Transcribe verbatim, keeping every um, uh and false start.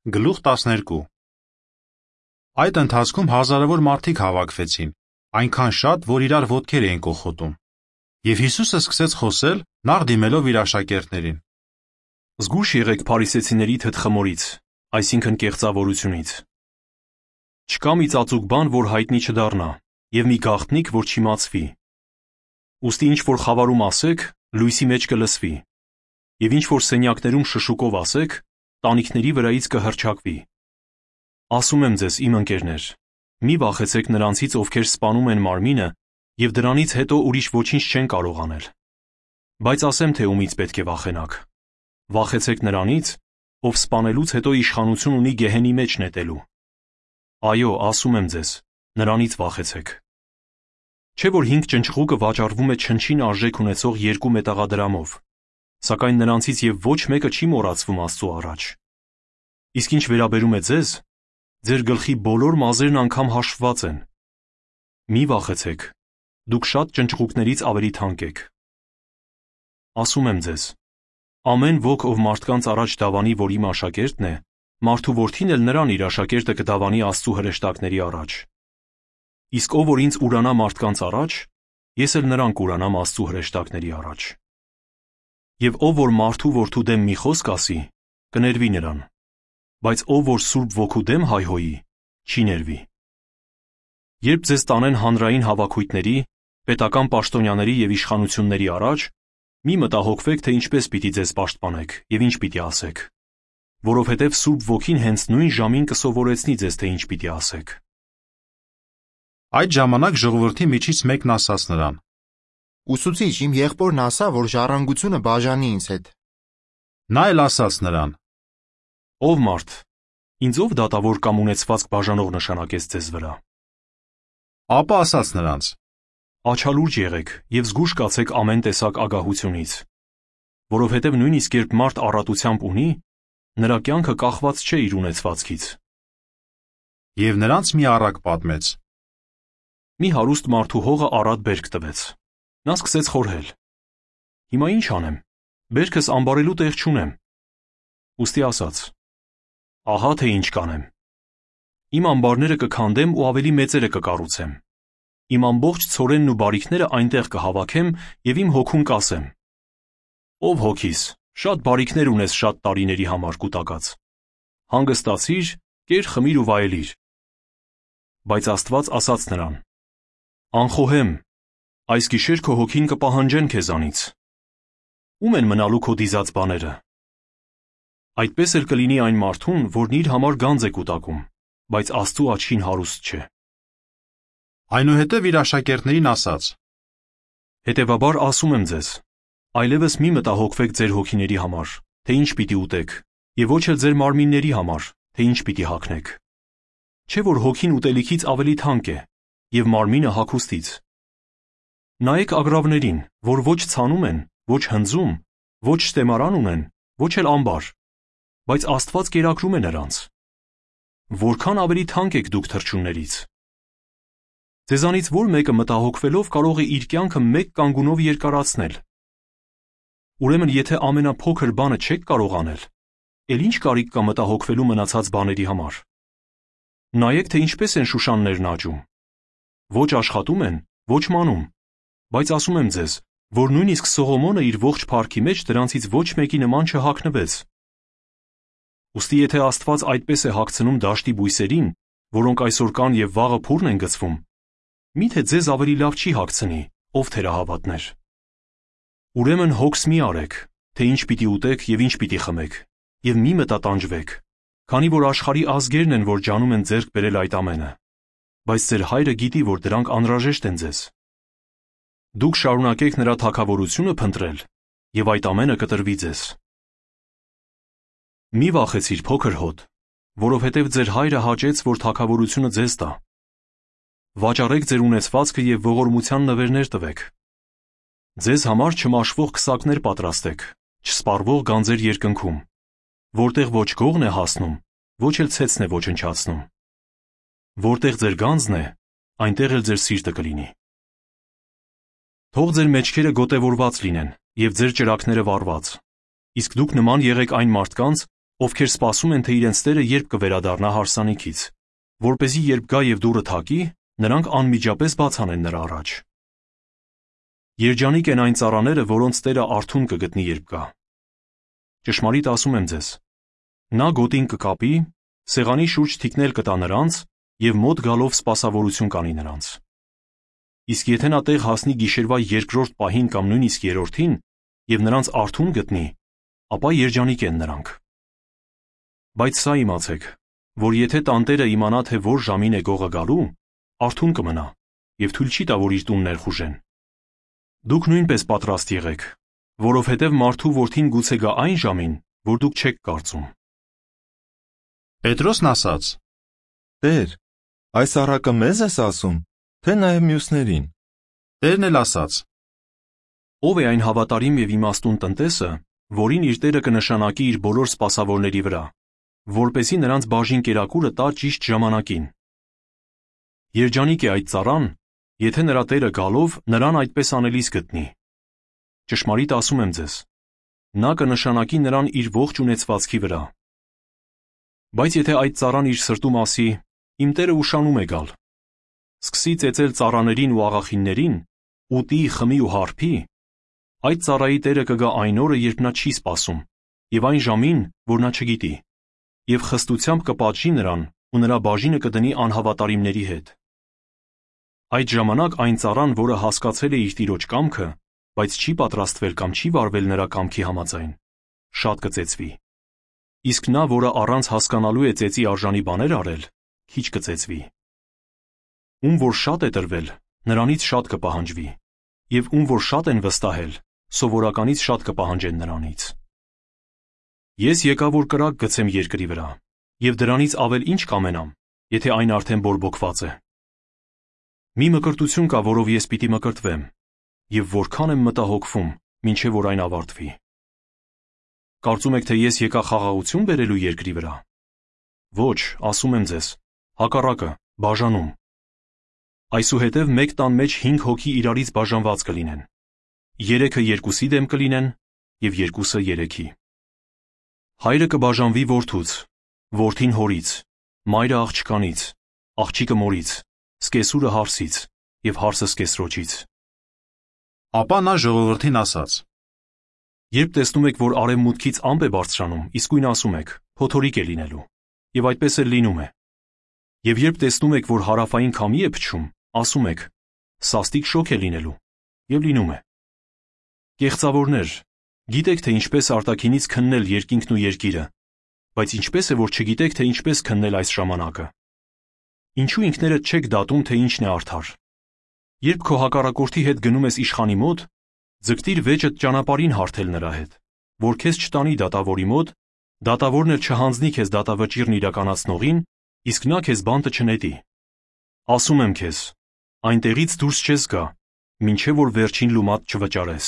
Գլուխ տասներկու Այդ ընթացքում հազարավոր մարդիկ հավաքվեցին, այնքան շատ, որ իրար ոտքեր էին կոխոտում։ Եվ Հիսուսը սկսեց խոսել, նախ դիմելով իր աշակերտներին. Զգույշ եղեք փարիսեցիների թթխմորից, այսինքն կեղծավորությունից։ Չկա մի ծածուկ բան, որ հայտնի չդառնա, եւ մի գաղտնիք, որ չիմացվի։ Ուստի ինչ որ խավարում ասեք, լույսի մեջ կլսվի, եւ ինչ որ սենյակներում շշուկով ասեք, տանիքների վրայից կհռչակվի։ Ասում եմ ձեզ, իմ ընկերներ, մի վախեցեք նրանցից, ովքեր սպանում են մարմինը, եւ դրանից հետո ուրիշ ոչինչ չեն կարող անել։ Բայց ասեմ, թե ումից պետք է վախենաք։ Վախեցեք նրանից, ով սպանելուց հետո իշխանություն ունի գեհենի մեջ նետելու։ Այո, ասում եմ ձեզ, նրանից վախեցեք։ Չէ՞ որ հինգ ճնճղուկը վաճառվում է չնչին արժեք ունեցող երկու մետաղադրամով, սակայն նրանցից եւ ոչ մեկը չի մոռացվում Աստծո առաջ։ Իսկ ինչ վերաբերում է ձեզ, ձեր գլխի բոլոր մազերն անգամ հաշվված են։ Մի վախեցեք, դուք շատ ճնճղուկներից ավելի թանկ եք։ Ասում եմ ձեզ, ամեն ոք, ով մարդկանց առաջ դավանի, որ իմ աշակերտն է, մարդու որդին էլ նրան իր աշակերտը կդավանի Աստծու հրեշտակների առաջ։ Իսկ ով որ ինձ ուրանա մարդկանց առաջ, ես էլ նրան կուրանամ Աստծու հրեշտակների առաջ։ Եվ ով որ մարդու որդու դեմ մի խոսք ասի, կներվի նրան, բայց ով որ Սուրբ Ոգու դեմ հայհոյի, չի ներվի։ Երբ ձեզ տանեն հանրային հավաքույթների, պետական պաշտոնյաների եւ իշխանությունների առաջ, մի մտահոգվեք, թե ինչպես պիտի ձեզ պաշտպանեք եւ ինչ պիտի ասեք, որովհետեւ Սուրբ Ոգին հենց նույն ժամին կսովորեցնի ձեզ, թե ինչ պիտի ասեք։ Այդ ժամանակ ժողովրդի միջից մեկն ասաց նրան. Ուսուցիչ, իմ եղբորն ասա, որ ժառանգությունը բաժանի ինձ հետ։ Նա էլ ասաց նրան. Ով մարդ, ինձ ով դատավոր կամ ունեցվածք բաժանող նշանակեց ձեզ վրա։ Ապա ասաց նրանց. Աչալուրջ եղեք եւ զգույշ կացեք ամեն տեսակ ագահությունից, որովհետեւ նույնիսկ երբ մարդ առատությամբ ունի, նրա կյանքը կախված չէ իր ունեցվածքից։ Եվ նրանց մի առակ պատմեց. Մի հարուստ մարդու հողը առատ բերք տվեց։ Նա սկսեց խորհել. Հիմա ինչ անեմ, բերքս ամբարելու տեղ չունեմ։ Ուստի ասաց. Ահա թե ինչ կանեմ։ Իմ ամբարները կքանդեմ ու ավելի մեծերը կկառուցեմ։ Իմ ամբողջ ցորենն ու բարիքները այնտեղ կհավաքեմ եւ իմ հոգուն կասեմ. Ով հոգիս, շատ բարիքներ ունես շատ տարիների համար կուտակած։ Հանգստացիր, կեր խմիր ու վայելիր։ Բայց Աստված ասաց նրան. Անխոհեմ, այս գիշեր քո հոգին կպահանջեն քեզանից։ Ում են մնալու քո դիզած բաները։ Այդպես էլ կլինի այն մարդուն, որն իր համար գանձ է կուտակում, բայց Աստծու աչքին հարուստ չէ։ Այնուհետև իր աշակերտներին ասաց. Հետևաբար ասում եմ ձեզ, այլևս մի մտահոգվեք ձեր հոգիների համար, թե ինչ պիտի ուտեք, եւ ոչ էլ ձեր մարմինների համար, թե ինչ պիտի հագնեք։ Չէ՞ որ հոգին ուտելիքից ավելի թանկ է, եւ մարմինը հագուստից։ Նայեք ագռավներին, որ ոչ ցանում են, ոչ հնձում, ոչ ստեմարան ունեն, ոչ էլ ամբար, բայց Աստված կերակրում է նրանց։ Որքան ավելի թանկ եք դուք թռչուններից։ Ձեզանից որ մեկը մտահոգվելով կարող է իր կյանքը մեկ կանգունով երկարացնել։ Ուրեմն եթե ամենափոքր բանը չեք կարող անել, ել ինչ կարիք կա մտահոգվելու մնացած բաների համար։ Նայեք, թե ինչպես են շուշաններն աճում։ Ոչ աշխատում են, ոչ մանում, բայց ասում եմ ձեզ, որ նույնիսկ Սողոմոնը իր ողջ փառքի մեջ դրանցից ոչ մեկի նման չհագնվեց։ Ուստի եթե Աստված այդպես է հագցնում դաշտի բույսերին, որոնք այսօր կան եւ վաղը փուռն են գցվում, միթե ձեզ ավելի լավ չի հագցնի, ով թերահավատներ։ Ուրեմն հոգս մի արեք, թե ինչ պիտի ուտեք եւ ինչ պիտի խմեք, եւ մի մտատանջվեք, քանի որ աշխարհի ազգերն են, որ ջանում են ձեռք բերել այդ ամենը, բայց ձեր հայրը գիտի, որ դրանք անհրաժեշտ են ձեզ։ Դուք շարունակեք նրա թագավորությունը փնտրել, եւ այդ ամենը կտրվի ձեզ։ Մի վախեցիր փոքր հոտ, որովհետև ձեր հայրը հաճեց, որ թագավորությունը ձեզ տա։ Վաճառեք ձեր ունեցվածքը եւ ողորմության նվերներ տվեք։ Ձեզ համար չմաշվող քսակներ պատրաստեք, չսպառվող գանձեր երկնքում, որտեղ ոչ գողն է հասնում, ոչ էլ ցեցն է ոչնչացնում։ Որտեղ ձեր գանձն է, այնտեղ էլ ձեր սիրտը կլինի։ Թող ձեր մեջքերը գոտևորված լինեն եւ ձեր ճրագները վառված, իսկ դուք նման եղեք այն մարդկանց, ովքեր սպասում են, թե իրենց տերը երբ կվերադառնա հարսանիքից, որպեսզի երբ գա և դուռը թակի, նրանք անմիջապես բաց անեն նրա առաջ։ Երջանիկ են այն ծառաները, որոնց տերը արթուն կգտնի, երբ գա։ Ճշմարիտ ասում եմ ձեզ, նա գոտին կկապի, սեղանի շուրջ թիկնել կտա նրանց և մոտ գալով սպասավորություն կանի նրանց։ Իսկ եթե նա տեղ հասնի գիշերվա երկրորդ պահին կամ նույնիսկ երրորդին և նրանց արթուն գտնի, ապա երջանիկ են նրանք։ Բայց սա իմացեք, որ եթե տանտերը իմանա, թե որ ժամին է գողը գալու, արթուն կմնա և թույլ չի տա, որ իր տուն ներխուժեն։ Դուք նույնպես պատրաստ եղեք, որովհետև մարդու որդին գուցե գա այն ժամին, որ դուք չեք կարծում։ Պետրոսն ասաց. Տեր, այս առակը մեզ ես ասում, թե նաև մյուսներին։ Տերն էլ ասաց. Ո՞վ է այն հավատարիմ և իմաստուն տնտեսը, որին իր տերը կնշանակի իր բոլոր սպասավորների վրա, որպեսզի նրանց բաժին կերակուրը տա ճիշտ ժամանակին։ Երջանիկ է այդ ծառան, եթե նրա տերը գալով նրան այդպես անելիս գտնի։ Ճշմարիտ ասում եմ ձեզ, նա կնշանակի նրան իր ողջ ունեցվածքի վրա։ Բայց եթե այդ ծառան իր սրտում ասի. «Իմ տերը ուշանում է գալ», սկսի ծեծել ծառաներին ու աղախիններին, ուտի, խմի ու հարբի, այդ ծառայի տերը կգա այն օրը, երբ նա չի սպասում, և այն ժամին, որ նա չգիտի, և խստությամբ կպատժի նրան ու նրա բաժինը կդնի անհավատարիմների հետ։ Այդ ժամանակ այն ծառան, որը հասկացել է իր տիրոջ կամքը, բայց չի պատրաստվել կամ չի վարվել նրա կամքի համաձայն, շատ կծեծվի։ Իսկ նա, որը առանց հասկանալու է ծեծի արժանի բաներ արել, քիչ կծեծվի։ Ում որ շատ է տրվել, նրանից շատ կպահանջվի, և ում որ շատ են վստահել, սովորականից շատ կպահանջեն նրանից։ Ես եկա, որ կրակ գցեմ երկրի վրա, և դրանից ավել ինչ կամենամ, եթե այն արդեն բորբոքված է։ Մի մկրտություն կա, որով ես պիտի մկրտվեմ, և որքան եմ մտահոգվում, մինչև որ այն ավարտվի։ Կարծում եք, թե ես եկա խաղաղություն բերելու երկրի վրա։ Ոչ, ասում եմ ձեզ, հակառակը, բաժանում։ Այսուհետև մեկ տան մեջ հինգ հոգի իրարից բաժանված կլինեն, երեքը երկուսի դեմ կլինեն և երկուսը երեքի։ Հայրը կբաժանվի որդուց, որդին հորից, մայրը աղջկանից, աղջիկը մորից, սկեսուրը հարսից և հարսը սկեսրոջից։ Ապա նա ժողովրդին ասաց. Երբ տեսնում եք, որ արևմուտքից ամպ է բարձրանում, իսկույն ասում եք. փոթորիկ է լինելու, և այդպես էլ լինում է։ Եվ երբ տեսնում եք, որ հարավային քամի է փչում, ասում եք. սաստիկ շոգ է լինելու, և լինում է։ Կեղծավորներ, գիտեք, թե ինչպես արտաքինից քննել երկինքն ու երկիրը, բայց ինչպես է, որ չգիտեք, թե ինչպես քննել այս ժամանակը։ Ինչու ինքներդ չեք դատում, թե ինչն է արդար։ Երբ քո հակառակորդի հետ գնում ես իշխանի մոտ, ձգտիր վեճդ ճանապարհին հարթել նրա հետ, որ քեզ չտանի դատավորի մոտ, դատավորն էլ չհանձնի քեզ դատավճիռն իրականացնողին, իսկ նա քեզ բանտը չնետի։ Ասում եմ քեզ, այնտեղից դուրս չես գա, մինչև որ վերջին լումատ չվճարես։